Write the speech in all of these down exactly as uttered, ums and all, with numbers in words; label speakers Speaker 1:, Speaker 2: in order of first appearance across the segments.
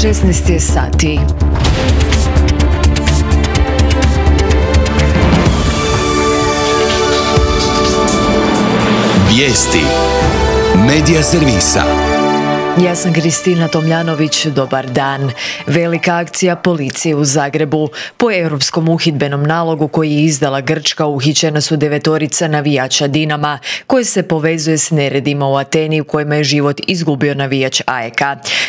Speaker 1: šesnaest je sati.
Speaker 2: Vijesti Medija servisa.
Speaker 1: Ja sam Kristina Tomljanović, dobar dan. Velika akcija policije u Zagrebu. Po europskom uhidbenom nalogu koji je izdala Grčka uhićena su devetorica navijača Dinama, koje se povezuje s neredima u Ateni u kojima je život izgubio navijač A E K.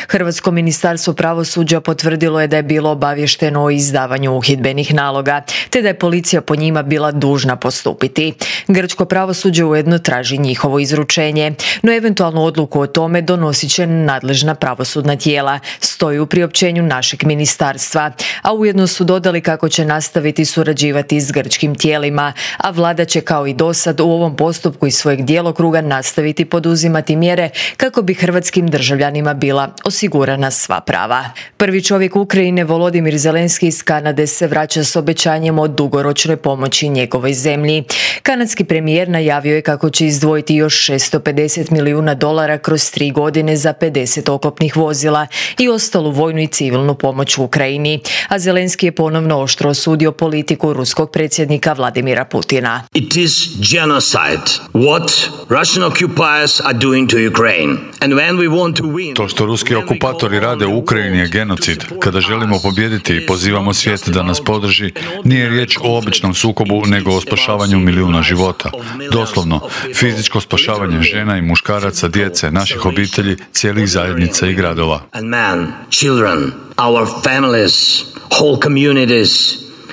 Speaker 1: Hrvatsko ministarstvo pravosuđa potvrdilo je da je bilo obavješteno o izdavanju uhidbenih naloga, te da je policija po njima bila dužna postupiti. Grčko pravosuđe ujedno traži njihovo izručenje, no eventualnu odluku o tome donosit će nadležna pravosudna tijela, stoji u priopćenju našeg ministarstva, a ujedno su dodali kako će nastaviti surađivati s grčkim tijelima, a vlada će kao i dosad u ovom postupku iz svojeg djelokruga nastaviti poduzimati mjere kako bi hrvatskim državljanima bila osigurana sva prava. Prvi čovjek Ukrajine Volodimir Zelenski iz Kanade se vraća s obećanjem o dugoročnoj pomoći njegovoj zemlji. Kanadski premijer najavio je kako će izdvojiti još šesto pedeset milijuna dolara kroz tri godine za pedeset oklopnih vozila i ostalu vojnu i civilnu pomoć u Ukrajini, a Zelenski je ponovno oštro osudio politiku ruskog predsjednika Vladimira Putina.
Speaker 3: It is genocide what Russian occupiers are doing to Ukraine. And when we want to win,
Speaker 4: to što ruski okupatori rade u Ukrajini je genocid. Kada želimo pobijediti i pozivamo svijet da nas podrži, nije riječ o običnom sukobu, nego o spašavanju milijuna života. Doslovno, fizičko spašavanje žena i muškaraca, djece, naših obitelji, cijelih zajednica i gradova.
Speaker 3: And men, children, our families, whole communities,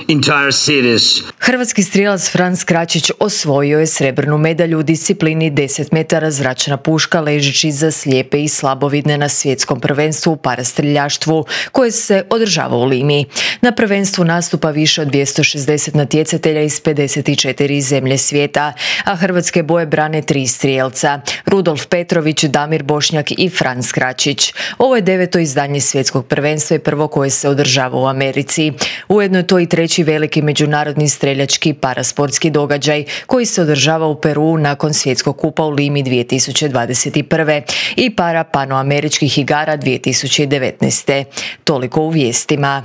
Speaker 3: entire cities.
Speaker 1: Hrvatski strijelac Franc Kračić osvojio je srebrnu medalju u disciplini deset metara zračna puška ležeći za slijepe i slabovidne na svjetskom prvenstvu u parastreljaštvu koje se održava u Limi. Na prvenstvu nastupa više od dvjesto šezdeset natjecatelja iz pedeset četiri zemlje svijeta, a hrvatske boje brane tri strijelca: Rudolf Petrović, Damir Bošnjak i Franc Kračić. Ovo je deveto izdanje svjetskog prvenstva i prvo koje se održava u Americi. Ujedno je to i treći veliki međunarodni streljački parasportski događaj koji se održava u Peruu nakon svjetskog kupa u Limi dvije tisuće dvadeset prve i para panoameričkih igara dvije tisuće devetnaeste. Toliko u vijestima.